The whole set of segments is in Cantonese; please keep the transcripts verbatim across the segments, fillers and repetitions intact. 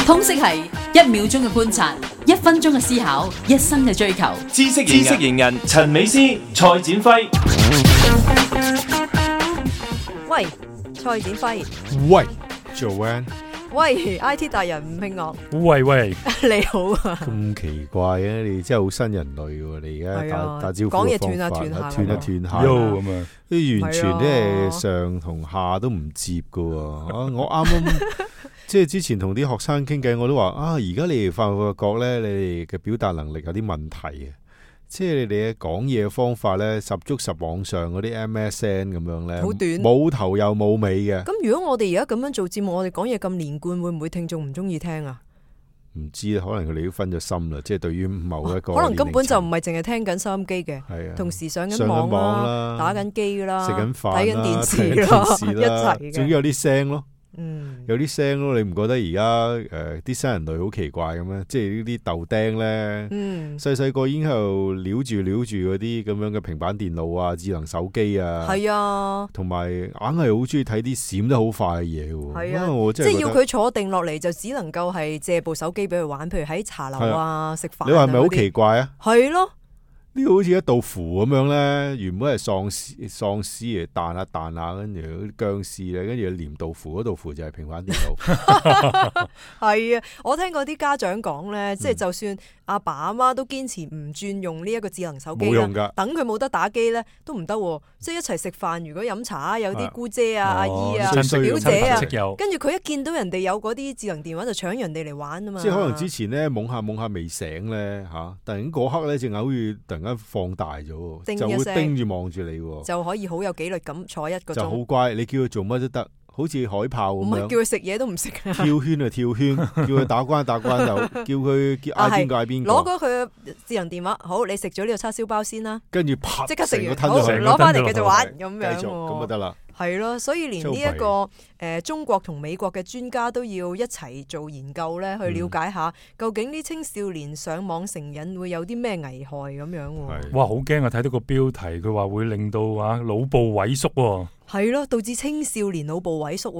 通識係一秒鐘嘅觀察，一分鐘嘅思考，一生嘅追求。知識知識型人陳美詩、蔡展輝。喂，蔡展輝。喂 Joanne。喂 I T 大人吳慶樂。喂喂，你好啊。咁奇怪嘅，你真係好新人類喎！你而家打打招呼講嘢嘅方法，斷下斷下斷一斷下，咁啊，啲完全即係上同下都唔接噶喎。啊，我啱啱即係之前同啲學生傾偈，我都話啊，而家你哋發覺覺咧，你哋嘅表達能力有啲問題啊！即係你哋嘅講嘢嘅方法咧，十足十網上嗰啲 M S N 咁樣咧，好短，冇頭又冇尾嘅。咁如果我哋而家咁樣做節目，我哋講嘢咁連貫，會唔會聽眾唔中意聽啊？唔知可能佢哋都分咗心啦。即係對於某一個，可能根本就唔係淨係聽緊收音機嘅，係啊，同時上緊網啦，打緊機啦，食緊飯，睇緊電視啦，一齊嘅，總之有啲聲咯。嗯，有啲聲咯，你唔覺得而家誒啲新人類好奇怪咁咩？即係呢啲豆釘咧，細細個已經喺度撩住撩住嗰啲咁樣嘅平板電腦啊、智能手機啊，係啊，同埋硬係好中意睇啲閃得好快嘅嘢喎。係啊，我真係即係要佢坐定落嚟，就只能夠係借部手機俾佢玩，譬如喺茶樓啊食飯。你話係咪好奇怪啊？係咯。呢個好似一道符咁樣咧，原本係喪屍喪屍嚟彈下彈下，跟住啲僵屍咧，跟住黏道符，嗰道符就係平板電腦。係啊，我聽過啲家長講咧，即係就算阿爸阿媽都堅持唔轉用呢一個智能手機啦，冇用㗎，等佢冇得打機咧都唔得。即係一齊食飯，如果飲茶有啲姑姐啊、阿姨啊、表姐啊，跟住佢一見到人哋有嗰啲智能電話，就搶人哋嚟玩啊嘛。即係可能之前咧懵下懵下未醒咧嚇，突然嗰刻咧隻眼好似突然間放大咗，就會盯住望住你，就可以好有紀律咁坐一個鐘。就好乖，你叫佢做乜都得。好似海豹咁樣，唔係叫佢食嘢都唔食啊！跳圈啊跳圈，叫佢打關打關就叫佢叫嗌邊個嗌邊個。攞咗佢嘅智能電話，好，你食咗呢個叉燒包先啦。跟住啪，即刻食完，好攞翻嚟繼續玩咁樣。繼續咁就得啦。係咯，所以連呢、這、一個誒、呃、中國同美國嘅專家都要一齊做研究咧，去了解下、嗯、究竟啲青少年上網成癮會有啲咩危害咁樣。哇，好驚啊！睇到個標題，佢話會令到啊腦部萎縮喎。係咯，導致青少年腦部萎縮。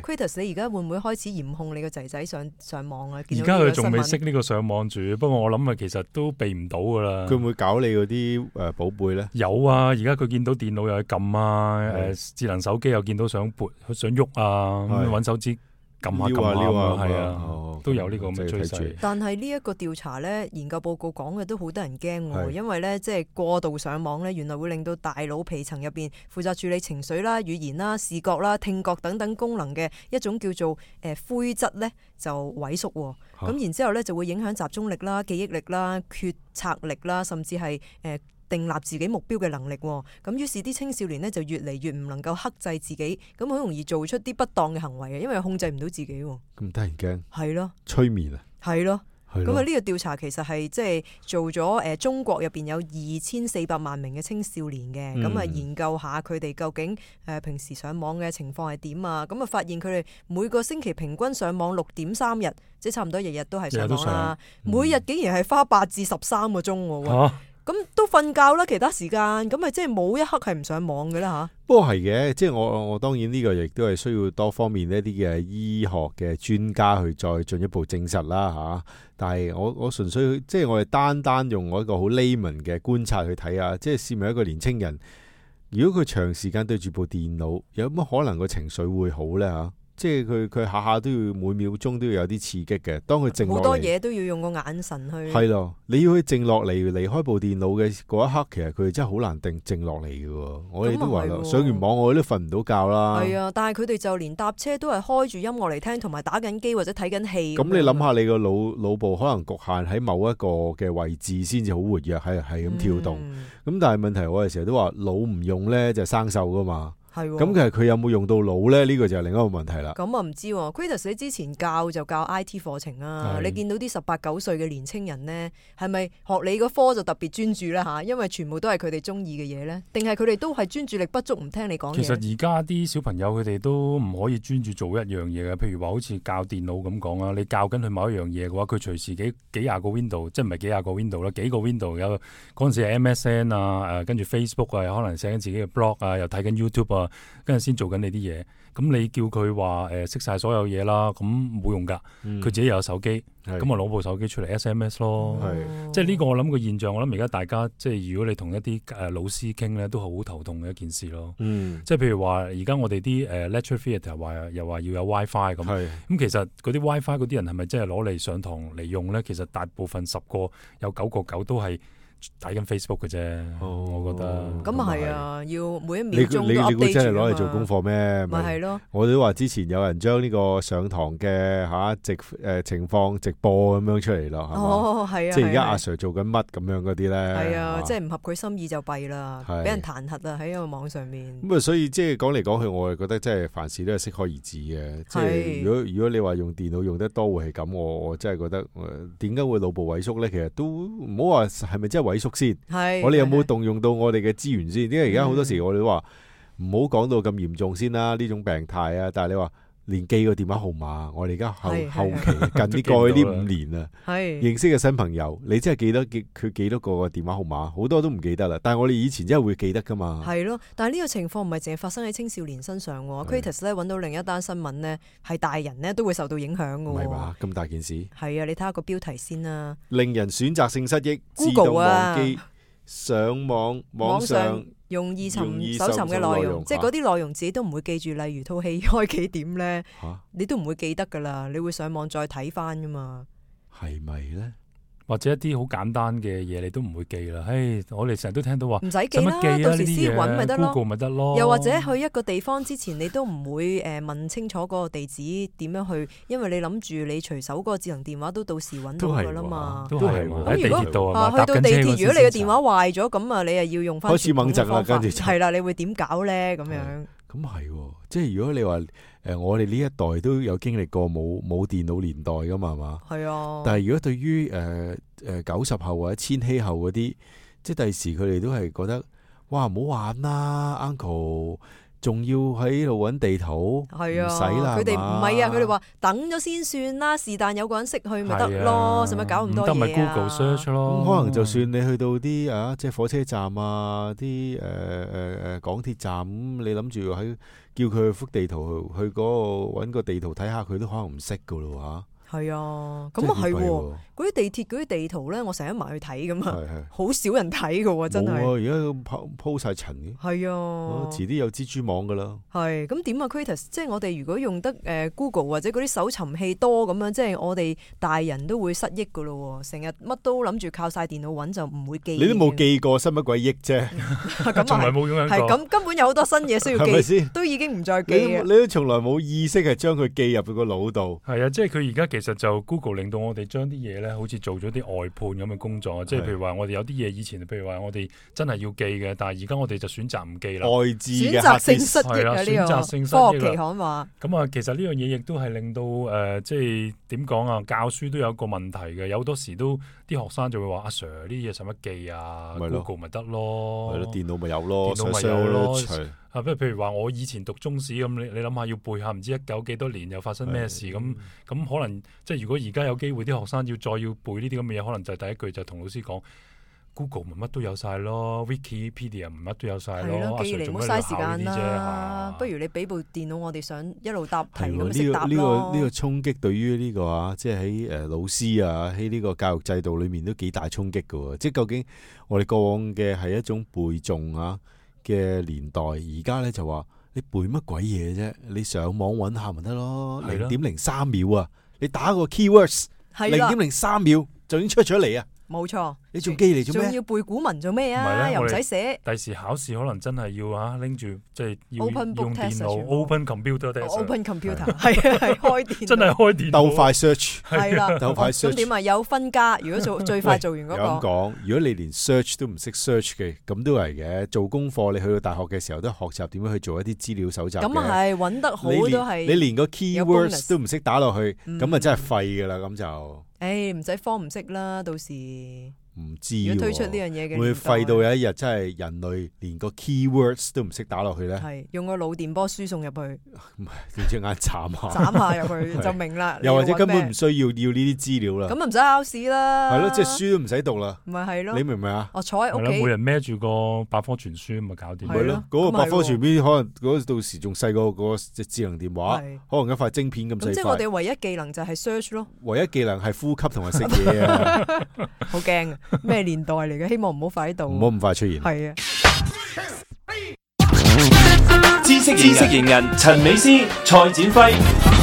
Kratos， 你而家會唔會開始嚴控你個仔仔上上網啊？而家佢仲未識呢個上網住，不過我諗啊，其實都避唔到噶啦。佢會唔會搞你嗰啲誒寶貝咧？有啊，而家佢見到電腦又去撳啊，誒、呃、智能手機又見到想撥想喐啊，咁揾手指撳下撳下啊，係啊，哦、都有呢個咁嘅趨勢。但係呢一個調查咧，研究報告講嘅都好得人驚喎，因為咧即係過度上網咧，原來會令到大腦皮層入邊負責處理情緒啦、語言啦、視覺啦、聽覺等等功能嘅一種叫做誒灰質咧就萎縮喎。咁、啊、然之後咧就會影響集中力啦、記憶力啦、決策力啦，甚至係誒。呃訂立自己目標嘅能力，咁於是啲青少年呢就越嚟越唔能夠克制自己，咁好容易做出啲不當嘅行為嘅，因為控制唔到自己。咁得人驚？係咯，催眠啊？係咯，咁啊呢個調查其實係即係做咗誒、呃、中國入邊有二千四百萬名嘅青少年嘅，咁啊、嗯、研究下佢哋究竟誒、呃、平時上網嘅情況係點啊？咁啊發現佢哋每個星期平均上網六點三日，即係差唔多日日都係上網啦，嗯、每日竟然係花八至十三個鐘喎。啊咁都瞓覺啦，其他時間咁咪即係冇一刻係唔上網嘅啦吓。不過係嘅，即係我我當然呢個亦都係需要多方面一啲嘅醫學嘅專家去再進一步證實啦吓。但係我我純粹即係我哋單單用我一個好 layman 嘅觀察去睇下，即係試問一個年青人，如果佢長時間對住部電腦，有乜可能個情緒會好咧吓？即係佢佢下下都要每秒鐘都要有啲刺激嘅，當佢靜落嚟，好多嘢都要用個眼神去。係咯，你要佢靜落嚟，離開部電腦嘅嗰一刻，其實佢哋真係好難定靜落嚟嘅。我哋都話啦，上完網我哋都瞓唔到覺啦。係啊，但係佢哋就連搭車都係開住音樂嚟聽，同埋打緊機或者睇緊戲。咁你諗下，你個腦腦部可能局限喺某一個嘅位置先至好活躍，係係咁跳動。咁、嗯、但係問題，我哋成日都話腦唔用咧就生鏽噶嘛。係咁，其實佢有冇用到腦咧？呢、這個就係另一個問題啦。咁啊唔知喎 Kratos 你之前教就教 I T 課程啊，你見到啲十八九歲嘅年青人呢，係咪學你個科就特別專注咧吓？因為全部都係佢哋中意嘅嘢咧，定係佢哋都係專注力不足，唔聽你講嘢？其實而家啲小朋友佢哋都唔可以專注做一樣嘢嘅，譬如話好似教電腦咁講啊，你教緊佢某一樣嘢嘅話，佢隨時幾幾廿個 window， 即係唔係幾廿個 window 啦，幾個 window 有嗰陣時係 M S N 啊，誒跟住 Facebook 啊，可能寫緊自己嘅 blog 啊，又睇緊 YouTube 啊。啊，跟住先做緊你啲嘢。咁你叫佢話誒識晒所有嘢啦，咁冇用㗎。佢、嗯、自己又有手機，咁啊攞部手機出嚟 S M S 咯。係即係呢個我諗個現象，我諗而家大家即係如果你同一啲誒老師傾咧，都係好頭痛嘅一件事咯。嗯，即係譬如話，而家我哋啲誒 lecture theatre 話又話要有 WiFi 咁，咁其實嗰啲 WiFi 嗰啲人係咪真係攞嚟上堂嚟用咧？其實大部分十個有九個九都係睇緊 Facebook 嘅啫。哦，我覺得咁啊係啊，要每一秒鐘都你你 update 你估真係攞嚟住做功課咩？咪係咯。我哋都話之前有人將呢個上堂嘅嚇直誒情況直播咁樣出嚟咯，係嘛？哦，係啊，即係而家阿 Sir 做緊乜咁樣嗰啲咧？係啊，即係唔合佢心意就弊啦，俾人彈劾啦喺個網上面。咁啊，所以即係講嚟講去，我係覺得即係凡事都係適可而止嘅。即係如果如果你話用電腦用得多會係咁，我我真係覺得點解會腦部萎縮咧？其實都唔好話係咪真係萎縮先。係。我哋有冇動用到我哋嘅資源先？因為而家好多時我哋都話唔好講到咁嚴重先啦，呢種病態啊。但係你話連記個電話號碼，我哋而家後後期近啲過去呢五年啊，認識嘅新朋友，你真係記得佢幾多個個電話號碼？好多都唔記得啦。但係我哋以前真係會記得噶嘛。係咯，但係呢個情況唔係淨係發生喺青少年身上喎。Kratos 咧揾到另一單新聞呢，係大人呢都會受到影響㗎喎。唔係嘛？咁大件事。係啊，你睇下個標題先啦。令人選擇性失憶， Google 自動忘記。上網網上容易尋搜尋嘅內容，即係嗰啲內容自己都唔會記住，例如套戲開幾點咧，啊、你都唔會記得噶啦，你會上網再睇翻噶嘛？係咪咧？或者一啲好簡單嘅嘢，你都唔會記啦。唉，我哋成日都聽到話唔使記啦，記到時先揾咪得咯。Google 咪得咯。又或者去一個地方之前，你都唔會誒問清楚嗰個地址點樣去，因為你諗住你隨手嗰個智能電話都到時揾到噶啦嘛。都係喎。咁如果啊去到地鐵，如果你嘅電話壞咗，咁啊你又要用翻開始猛震啦，跟住係啦，你會點搞咧？咁樣咁係喎，即係如果你話。誒，我哋呢一代都有經歷過冇冇電腦年代噶嘛，係嘛？係啊。但係如果對於誒誒九十後或者千禧後嗰啲，即係第時佢哋都係覺得，哇唔好玩啦 ，Uncle， 仲要喺度揾地圖，係啊，唔使啦。佢哋唔係啊，佢哋話等咗先算啦，是但有個人識去咪得咯，使乜搞咁多嘢啊？得咪 Google search 咯。咁可能就算你去到啲啊，即係火車站啊，啲誒誒誒港鐵站，咁你諗住喺。叫佢去幅地圖去嗰個揾個地圖睇下，佢都可能唔識噶咯吓。係啊，咁啊係喎，嗰啲地鐵嗰啲地圖咧，我成日埋去睇噶嘛，好少人睇噶喎，真係。而家鋪鋪晒塵嘅。係啊，遲啲有蜘蛛網噶啦。係，咁點啊 Kratos 即係我哋如果用得誒 Google 或者嗰啲搜尋器多咁樣，即係我哋大人都會失憶噶咯，成日乜都諗住靠晒電腦揾就唔會記。你都冇記過，失乜鬼憶啫？咁從來冇用過。係咁，根本有好多新嘢需要記，係咪先？都已經唔再記。你都從來冇意識係將佢記入佢個腦度。係啊，即係佢而家其實就 Google 令到我哋將啲嘢咧，好似做咗啲外判咁嘅工作。即係譬如話，我哋有啲嘢以前，譬如話我哋真係要記嘅，但係而家我哋就選擇唔記啦。外置嘅選擇性失憶啊！呢選擇性失個憶科學期刊話。咁啊，其實呢樣嘢亦都係令到誒、呃，即係點講啊？教書都有一個問題嘅，有好多時都啲學生就會話：阿 Sir 呢啲嘢使乜記啊 ？Google 咪得咯，係咯，電腦咪有咯，電腦咪有咯。啊，譬如話我以前讀中史咁，你你諗下要背下唔知一九幾多年又發生咩事咁，咁可能即係如果而家有機會啲學生要再要背呢啲咁嘅嘢，可能就第一句就同老師講 Google 咪乜都有晒咯 ，Wikipedia 咪乜都有晒咯，阿 Sir 做咩要考呢啲啫？不如你俾部電腦我哋想一路答題咁呢識答咯。呢個呢個衝擊對於呢個啊，即係喺誒老師啊喺呢個教育制度裏面都幾大衝擊噶喎。即係究竟我哋過往嘅係一種背誦啊嘅年代，而家咧就話你背乜鬼嘢啫？你上網揾下咪得咯，零點零三秒啊！你打個 keywords， 零點零三秒就已經出咗嚟啊！冇錯，你仲記嚟做咩？仲要背古文做咩啊？又唔使寫。第時考試可能真係要啊拎住即係要 Open book 用電腦 open computer test。Open computer 係啊係開電腦。真係開電腦。鬥快 search 係啦，鬥快 search。咁點啊？有分加，如果做最快做完嗰個。有咁講，如果你連 search 都唔識 search 嘅，咁都係嘅。做功課你去到大學嘅時候都學習點樣去做一啲資料搜集嘅。咁啊係揾得好都係。你連個 keywords 都唔識打落去，咁啊真係廢噶啦咁就。誒唔使慌唔識啦，到時。唔知如喎。果推出呢樣嘢嘅年代，會廢到有一日真係人類連個 keywords 都唔識打落去咧，係用個腦電波輸送入去，點知眼斬下，斬下入去就明啦。又或者根本唔唔需要要呢啲資料啦。咁唔使考試啦。係咯，即係書都唔使讀啦。咪係咯。你明唔明啊？我坐喺係咯，屋企每。人孭住個百科全書咁咪搞掂。係咯嗰個百科咁係喎全書可能嗰個到時仲細過嗰個隻智能電話，係可能一塊晶片咁細咁即係我哋塊。唯一技能就係 search 咯，唯一技能係呼吸同埋食嘢啊！好驚啊！咩年代嚟嘅？希望唔好快喺度。唔好咁快出現。係啊。知識知識型人陳美斯、蔡展輝。